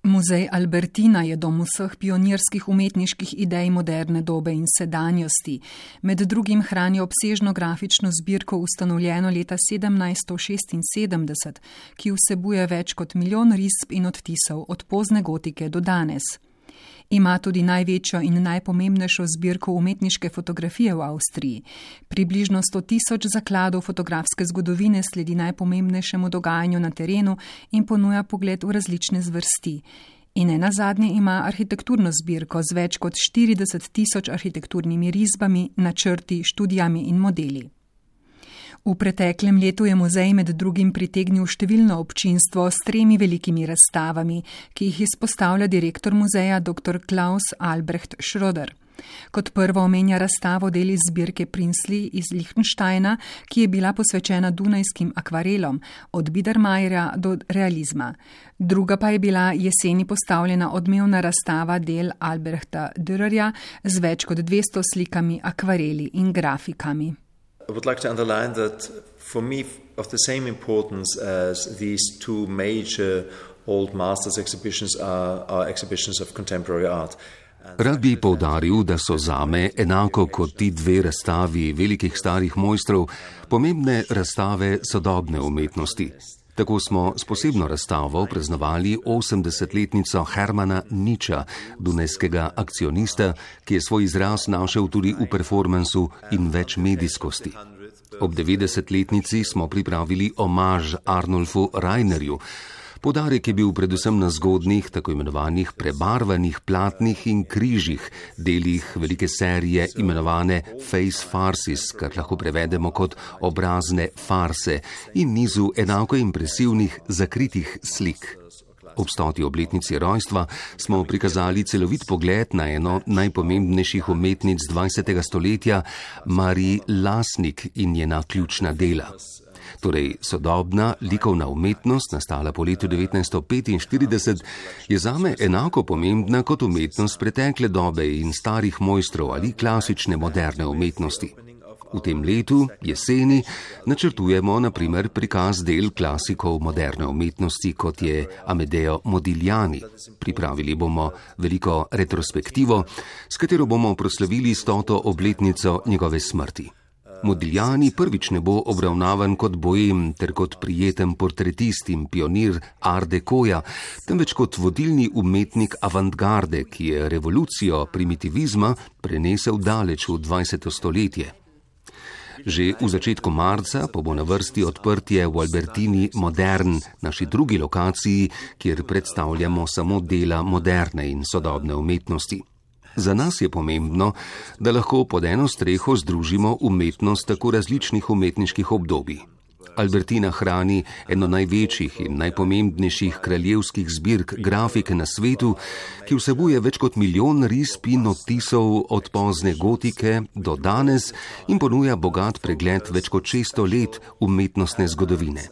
Muzej Albertina je dom vseh pionirskih umetniških idej moderne dobe in sedanjosti. Med drugim hrani obsežno grafično zbirko ustanovljeno leta 1776, ki vsebuje več kot 1 milijon risb in odtisov od pozne gotike do danes. Ima tudi največjo in najpomembnejšo zbirko umetniške fotografije v Avstriji. Približno 100.000 zakladov fotografske zgodovine sledi najpomembnejšemu dogajanju na terenu in ponuja pogled v različne zvrsti. In nenazadnje ima arhitekturno zbirko z več kot 40.000 arhitekturnimi risbami, načrti, študijami in modeli. V preteklem letu je muzej med drugim pritegnil številno občinstvo s 3 velikimi razstavami, ki jih izpostavlja direktor muzeja dr. Klaus Albrecht Schröder. Kot prvo omenja razstavo del iz zbirke Prinsley iz Liechtensteina, ki je bila posvečena dunajskim akvarelom, od Biedermeierja do realizma. Druga pa je bila jeseni postavljena odmevna razstava del Albrechta Dürerja z več kot 200 slikami, akvareli in grafikami. I would like to underline that for me of the same importance as these 2 major old masters exhibitions are exhibitions of contemporary art. Rad bi poudaril, da so zame, enako kot ti 2 razstavi velikih starih mojstrov, pomembne razstave sodobne umetnosti. Tako smo s posebno razstavo praznovali 80-letnico Hermana Niča, dunajskega akcionista, ki je svoj izraz našel tudi v performansu in večmedijskosti. Ob 90-letnici smo pripravili omaž Arnulfu Rainerju. Poudarek je bil predvsem na zgodnjih, tako imenovanih prebarvanih platnih in križih, delih velike serije imenovane Face Farces, kar lahko prevedemo kot obrazne farse, in nizu enako impresivnih zakritih slik. Ob 100. obletnici rojstva smo prikazali celovit pogled na eno najpomembnejših umetnic 20. stoletja, Marie Lasnik in njena ključna dela. Torej, sodobna likovna umetnost, nastala po letu 1945, je zame enako pomembna kot umetnost pretekle dobe in starih mojstrov ali klasične moderne umetnosti. V tem letu, jeseni, načrtujemo na primer prikaz del klasikov moderne umetnosti, kot je Amedeo Modigliani. Pripravili bomo veliko retrospektivo, s katero bomo proslavili 100. obletnico njegove smrti. Modigliani prvič ne bo obravnavan kot boem ter kot prijeten portretist in pionir Art Decoja, temveč kot vodilni umetnik avantgarde, ki je revolucijo primitivizma prenesel daleč v 20. stoletje. Že v začetku marca pa bo na vrsti odprtje v Albertini Modern, naši drugi lokaciji, kjer predstavljamo samo dela moderne in sodobne umetnosti. Za nas je pomembno, da lahko pod eno streho združimo umetnost tako različnih umetniških obdobij. Albertina hrani eno največjih in najpomembnejših kraljevskih zbirk grafike na svetu, ki vsebuje več kot 1 milijon risb in odtisov od pozne gotike do danes in ponuja bogat pregled več kot 600 let umetnostne zgodovine.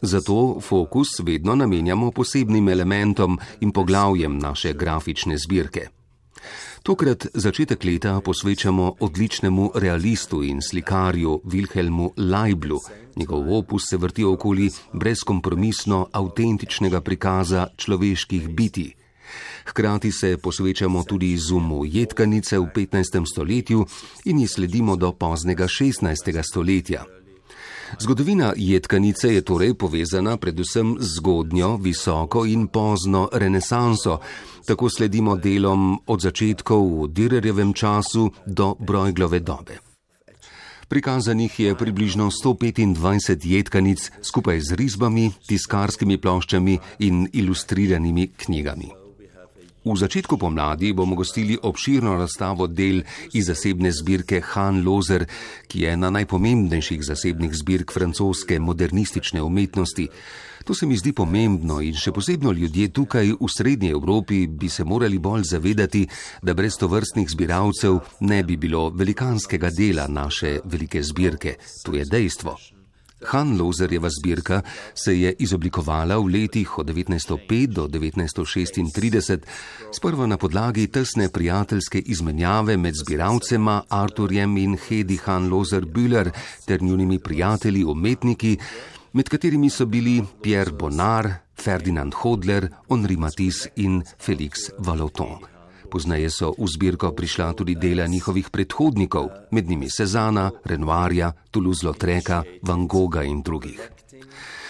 Zato fokus vedno namenjamo posebnim elementom in poglavjem naše grafične zbirke. Tokrat začetek leta posvečamo odličnemu realistu in slikarju Wilhelmu Leiblu. Njegov opus se vrti okoli brezkompromisno avtentičnega prikaza človeških bitij. Hkrati se posvečamo tudi izumu jedkanice v 15. stoletju in ji sledimo do poznega 16. stoletja. Zgodovina jedkanice je torej povezana predvsem z zgodnjo, visoko in pozno renesanso. Tako sledimo delom od začetkov v Dürerjevem času do Brueglove dobe. Prikazanih je približno 125 jedkanic skupaj z risbami, tiskarskimi ploščami in ilustriranimi knjigami. V začetku pomladi bomo gostili obširno razstavo del iz zasebne zbirke Han Lozer, ki je ena najpomembnejših zasebnih zbirk francoske modernistične umetnosti. To se mi zdi pomembno in še posebno ljudje tukaj v srednji Evropi bi se morali bolj zavedati, da brez tovrstnih zbiralcev ne bi bilo velikanskega dela naše velike zbirke. To je dejstvo. Han Lozerjeva zbirka se je izoblikovala v letih od 1905 do 1936, sprva na podlagi tesne prijateljske izmenjave med zbiralcema Arturjem in Hedi Han Lozer Bühler ter njunimi prijatelji umetniki, med katerimi so bili Pierre Bonnard, Ferdinand Hodler, Henri Matisse in Félix Vallotton. Pozneje so v zbirko prišla tudi dela njihovih predhodnikov, med njimi Cézanna, Renoirja, Toulouse-Lautreca, Van Gogha in drugih.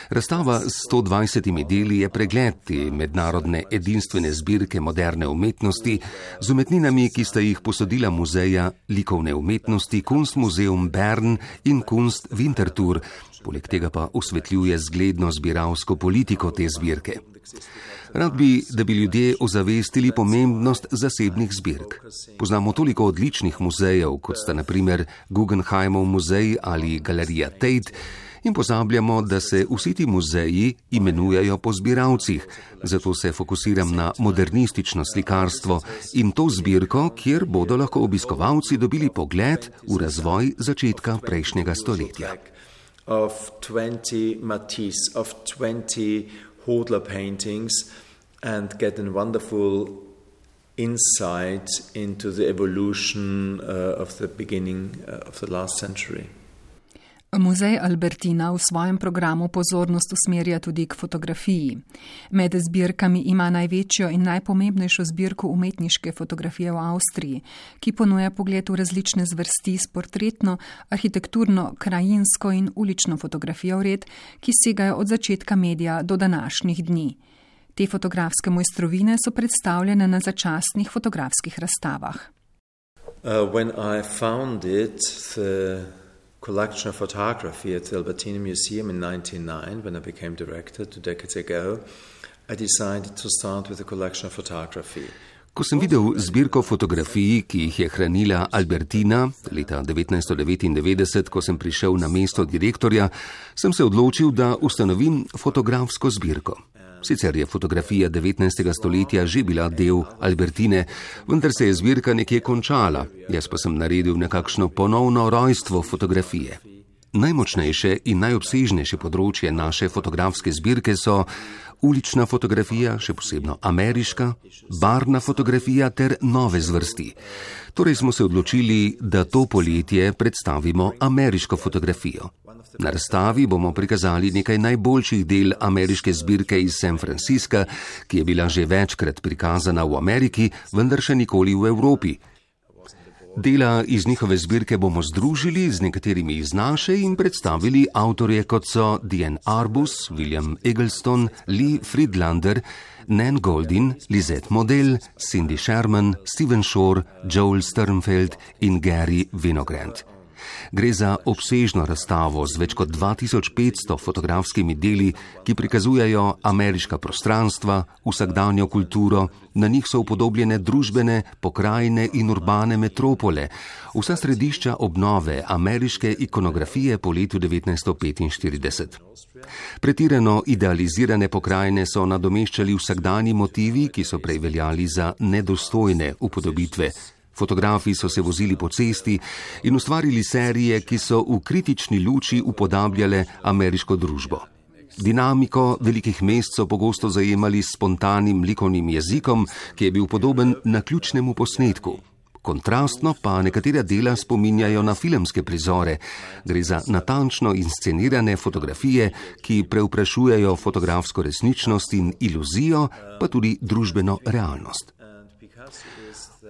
Razstava s 120 deli je pregled te mednarodne edinstvene zbirke moderne umetnosti z umetninami, ki sta jih posodila muzeja likovne umetnosti Kunstmuseum Bern in Kunst Winterthur, poleg tega pa osvetljuje zgledno zbiralsko politiko te zbirke. Rad bi, da bi ljudje ozavestili pomembnost zasebnih zbirk. Poznamo toliko odličnih muzejev, kot sta na primer Guggenheimov muzej ali Galerija Tate, in pozabljamo, da se vsi ti muzeji imenujejo po zbiralcih, zato se fokusiram na modernistično slikarstvo in to zbirko, kjer bodo lahko obiskovalci dobili pogled v razvoj začetka prejšnjega stoletja. Of 20 Matisse, of 20 Hodler paintings and get a wonderful insight into the evolution of the beginning of the last century. Muzej Albertina v svojem programu pozornost usmerja tudi k fotografiji. Med zbirkami ima največjo in najpomembnejšo zbirko umetniške fotografije v Avstriji, ki ponuja pogled v različne zvrsti s portretno, arhitekturno, krajinsko in ulično fotografijo vred, ki segajo od začetka medija do današnjih dni. Te fotografske mojstrovine so predstavljene na začasnih fotografskih razstavah. When I founded the collection of photography at the Albertina Museum in 1999, when I became director 2 decades ago, I decided to start with a collection of photography. Ko sem videl zbirko fotografij, ki jih je hranila Albertina leta 1999, ko sem prišel na mesto direktorja, sem se odločil, da ustanovim fotografsko zbirko. Sicer je fotografija 19. stoletja že bila del Albertine, vendar se je zbirka nekje končala, jaz pa sem naredil nekakšno ponovno rojstvo fotografije. Najmočnejše in najobsežnejše področje naše fotografske zbirke so ulična fotografija, še posebno ameriška, barvna fotografija ter nove zvrsti. Torej smo se odločili, da to poletje predstavimo ameriško fotografijo. Na razstavi bomo prikazali nekaj najboljših del ameriške zbirke iz San Francisca, ki je bila že večkrat prikazana v Ameriki, vendar še nikoli v Evropi. Dela iz njihove zbirke bomo združili z nekaterimi iz naše in predstavili avtorje, kot so Diane Arbus, William Eggleston, Lee Friedlander, Nan Goldin, Lisette Model, Cindy Sherman, Stephen Shore, Joel Sternfeld in Gary Winogrand. Gre za obsežno razstavo z več kot 2500 fotografskimi deli, ki prikazujejo ameriška prostranstva, vsakdanjo kulturo, na njih so upodobljene družbene, pokrajine in urbane metropole, vsa središča obnove ameriške ikonografije po letu 1945. Pretirano idealizirane pokrajine so nadomeščali vsakdanji motivi, ki so prej veljali za nedostojne upodobitve. Fotografi so se vozili po cesti in ustvarili serije, ki so v kritični luči upodabljale ameriško družbo. Dinamiko velikih mest so pogosto zajemali s spontanim likovnim jezikom, ki je bil podoben naključnemu posnetku. Kontrastno pa nekatera dela spominjajo na filmske prizore. Gre za natančno inscenirane fotografije, ki preuprašujejo fotografsko resničnost in iluzijo, pa tudi družbeno realnost.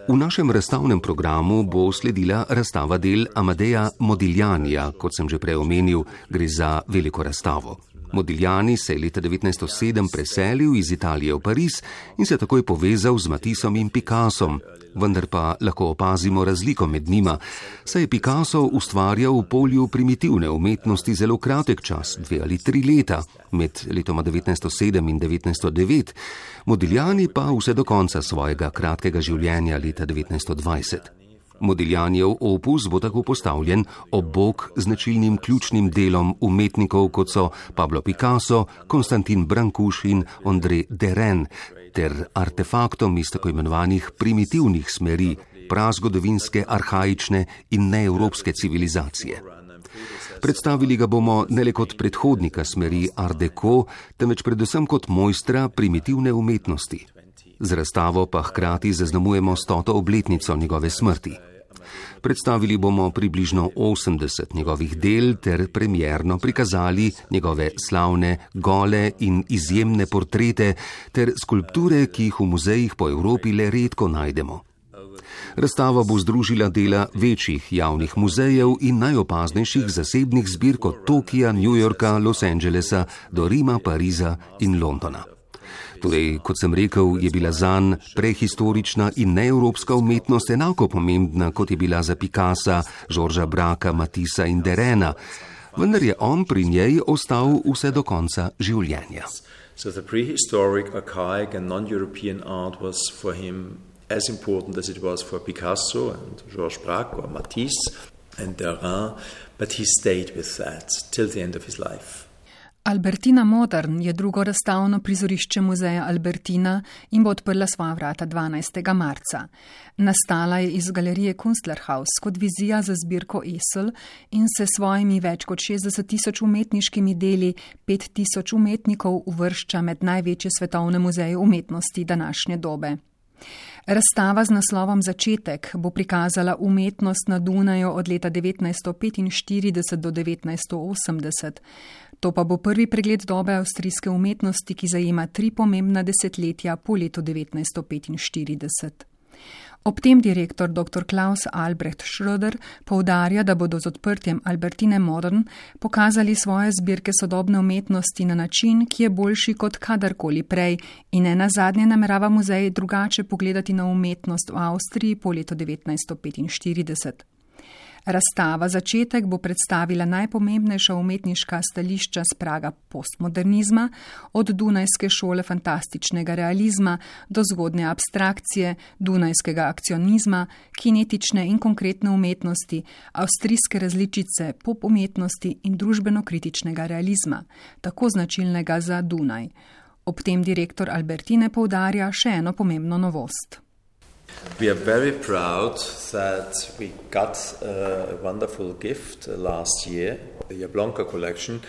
V našem razstavnem programu bo sledila razstava del Amadeja Modiglianija, kot sem že prej omenil, gre za veliko razstavo. Modigliani se je leta 1907 preselil iz Italije v Pariz in se takoj povezal z Matissom in Picassom, vendar pa lahko opazimo razliko med njima, saj je Picasso ustvarjal v polju primitivne umetnosti zelo kratek čas, 2 ali 3 leta, med letoma 1907 in 1909, Modigliani pa vse do konca svojega kratkega življenja leta 1920. Modiglianijev opus bo tako postavljen ob bok značilnim ključnim delom umetnikov, kot so Pablo Picasso, Konstantin Brancusi in André Derain, ter artefaktom iz tako imenovanih primitivnih smeri, prazgodovinske, arhaične in neevropske civilizacije. Predstavili ga bomo ne le kot predhodnika smeri Art Deco, temveč predvsem kot mojstra primitivne umetnosti. Z razstavo pa hkrati zaznamujemo 100. obletnico njegove smrti. Predstavili bomo približno 80 njegovih del ter premierno prikazali njegove slavne, gole in izjemne portrete ter skulpture, ki jih v muzejih po Evropi le redko najdemo. Razstava bo združila dela večjih javnih muzejev in najopaznejših zasebnih zbirk od Tokija, New Yorka, Los Angelesa do Rima, Pariza in Londona. Torej, kot sem rekel, je bila zanj prehistorična in neevropska umetnost enako pomembna, kot je bila za Picassa, Georgesa Braca, Matissa in Derena, vendar je on pri njej ostal vse do konca življenja. So the prehistoric, archaic and non-European art was for him as important as it was for Picasso and Georges Braque or Matisse and Derain, but he stayed with that till the end of his life. Albertina Modern je drugo razstavno prizorišče muzeja Albertina in bo odprla svoja vrata 12. marca. Nastala je iz galerije Kunstlerhaus kot vizija za zbirko Esel in se svojimi več kot 60.000 umetniškimi deli 5.000 umetnikov uvršča med največje svetovne muzeje umetnosti današnje dobe. Razstava z naslovom Začetek bo prikazala umetnost na Dunaju od leta 1945 do 1980. To pa bo prvi pregled dobe avstrijske umetnosti, ki zajema 3 pomembna desetletja po letu 1945. Ob tem direktor dr. Klaus Albrecht Schröder poudarja, da bodo z odprtjem Albertine Modern pokazali svoje zbirke sodobne umetnosti na način, ki je boljši kot kadarkoli prej in nenazadnje namerava muzej drugače pogledati na umetnost v Avstriji po letu 1945. Razstava Začetek bo predstavila najpomembnejša umetniška stališča s praga postmodernizma, od dunajske šole fantastičnega realizma do zgodnje abstrakcije, dunajskega akcionizma, kinetične in konkretne umetnosti, avstrijske različice pop umetnosti in družbeno-kritičnega realizma, tako značilnega za Dunaj. Ob tem direktor Albertine poudarja še eno pomembno novost. We are very proud that we got a wonderful gift last year, the Jablonka collection.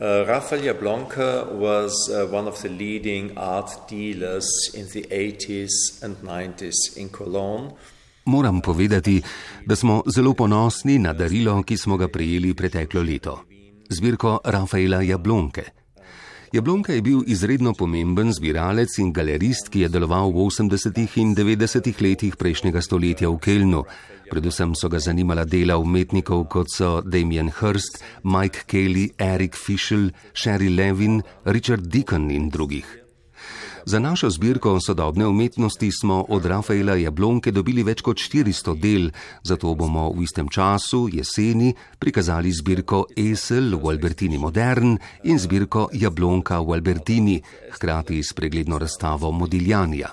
Raphael Jablonka was one of the leading art dealers in the 80s and 90s in Cologne. Moram povedati, da smo zelo ponosni na darilo, ki smo ga prejeli preteklo leto. Zbirko Raphaela Jablonke. Jablonka je bil izredno pomemben zbiralec in galerist, ki je deloval v 80. in 90. letih prejšnjega stoletja v Kölnu. Predvsem so ga zanimala dela umetnikov, kot so Damien Hirst, Mike Kelly, Eric Fischl, Sherry Levin, Richard Deacon in drugih. Za našo zbirko sodobne umetnosti smo od Raphaela Jablonke dobili več kot 400 del, zato bomo v istem času, jeseni, prikazali zbirko Esel v Albertini Modern in zbirko Jablonka v Albertini, hkrati s pregledno razstavo Modiglianija.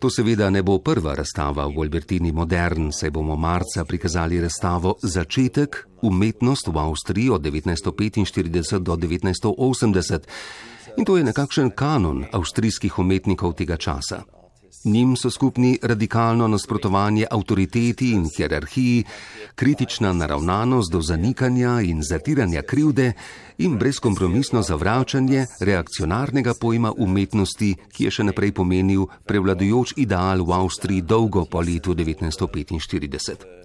To seveda ne bo prva razstava v Albertini Modern, saj bomo marca prikazali razstavo Začetek, umetnost v Avstriji od 1945 do 1980, in to je nekakšen kanon avstrijskih umetnikov tega časa. Njim so skupni radikalno nasprotovanje avtoriteti in hierarhiji, kritična naravnanost do zanikanja in zatiranja krivde in brezkompromisno zavračanje reakcionarnega pojma umetnosti, ki je še naprej pomenil prevladujoč ideal v Avstriji dolgo po letu 1945.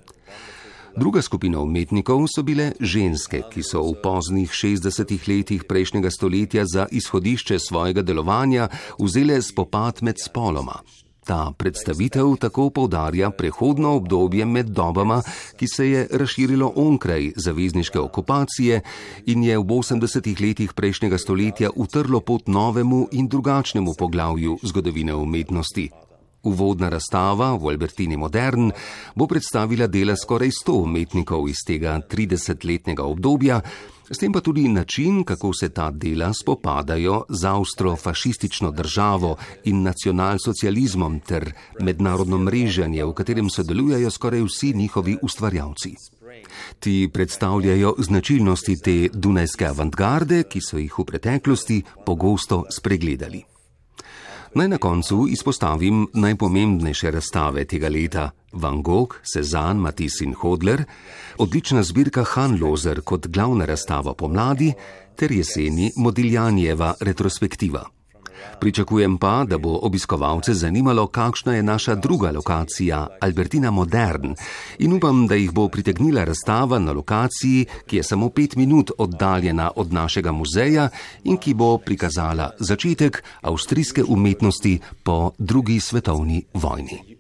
Druga skupina umetnikov so bile ženske, ki so v poznih 60. letih prejšnjega stoletja za izhodišče svojega delovanja vzele spopad med spoloma. Ta predstavitev tako poudarja prehodno obdobje med dobama, ki se je razširilo onkraj zavezniške okupacije in je v 80. letih prejšnjega stoletja utrlo pot novemu in drugačnemu poglavju zgodovine umetnosti. Uvodna razstava v Albertini Modern bo predstavila dela skoraj 100 umetnikov iz tega 30-letnega obdobja, s tem pa tudi način, kako se ta dela spopadajo z avstrofašistično državo in nacionalsocializmom ter mednarodno mreženje, v katerem sodelujejo skoraj vsi njihovi ustvarjalci. Ti predstavljajo značilnosti te dunajske avantgarde, ki so jih v preteklosti pogosto spregledali. Naj na koncu izpostavim najpomembnejše razstave tega leta: Van Gogh, Cézanne, Matisse in Hodler, odlična zbirka Hanloser kot glavna razstava pomladi ter jeseni Modiglianijeva retrospektiva. Pričakujem pa, da bo obiskovalce zanimalo, kakšna je naša druga lokacija, Albertina Modern, in upam, da jih bo pritegnila razstava na lokaciji, ki je samo 5 minut oddaljena od našega muzeja in ki bo prikazala začetek avstrijske umetnosti po drugi svetovni vojni.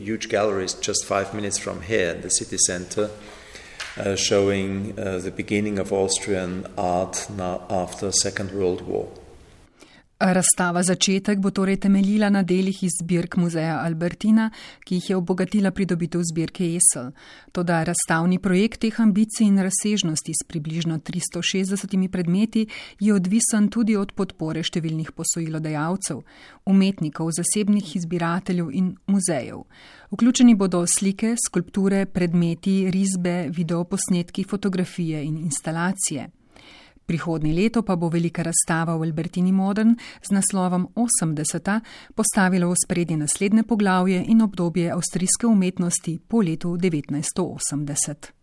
Huge galleries just 5 minutes from here in the city center, showing the beginning of Austrian art now after Second World War. Razstava Začetek bo torej temeljila na delih iz zbirk muzeja Albertina, ki jih je obogatila pridobitev zbirke Esel. Toda razstavni projekt teh ambicij in razsežnosti s približno 360 predmeti je odvisen tudi od podpore številnih posojilodajalcev, umetnikov, zasebnih izbirateljev in muzejev. Vključeni bodo slike, skulpture, predmeti, risbe, videoposnetki, fotografije in instalacije. Prihodnje leto pa bo velika razstava v Albertini Modern z naslovom 80. postavila v ospredje naslednje poglavje in obdobje avstrijske umetnosti po letu 1980.